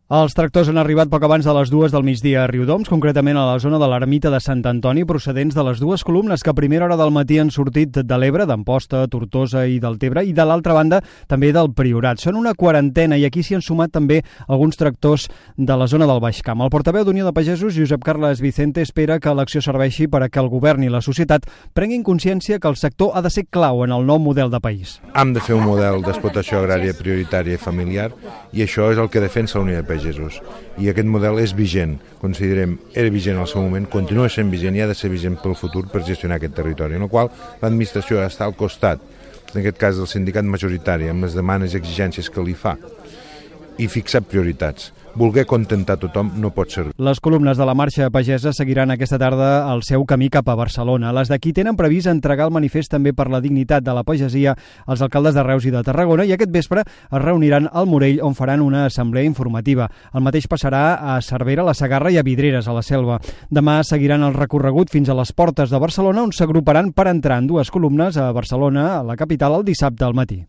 Els tractors han arribat poc abans de les 2 del migdia a Riudoms, concretament a la zona de l'ermita de Sant Antoni, procedents de les dues columnes que a primera hora del matí han sortit de l'Ebre, d'Amposta, Tortosa i del Tebre, i de l'altra banda també del Priorat. Són una quarantena i aquí s'hi han sumat també alguns tractors de la zona del Baix Camp. El portaveu d'Unió de Pagesos, Josep Carles Vicente, espera que l'acció serveixi per a que el govern i la societat prenguin consciència que el sector ha de ser clau en el nou model de país. Hem de fer un model d'explotació agrària prioritària i familiar i això és el que defensa la Unió de Pagesos. I aquest model és vigent, considerem, era vigent al seu moment, continua sent vigent i ha de ser vigent pel futur per gestionar aquest territori, en el qual l'administració està al costat, en aquest cas del sindicat majoritari, amb les demandes i exigències que li fa, i fixar prioritats. Voler contentar tothom no pot ser. Les columnes de la marxa pagesa seguiran aquesta tarda el seu camí cap a Barcelona. Les d'aquí tenen previst entregar el manifest també per la dignitat de la pagesia als alcaldes de Reus i de Tarragona i aquest vespre es reuniran al Morell on faran una assemblea informativa. El mateix passarà a Cervera, a la Segarra i a Vidreres, a la Selva. Demà seguiran el recorregut fins a les portes de Barcelona on s'agruparan per entrar en dues columnes a Barcelona, a la capital, el dissabte al matí.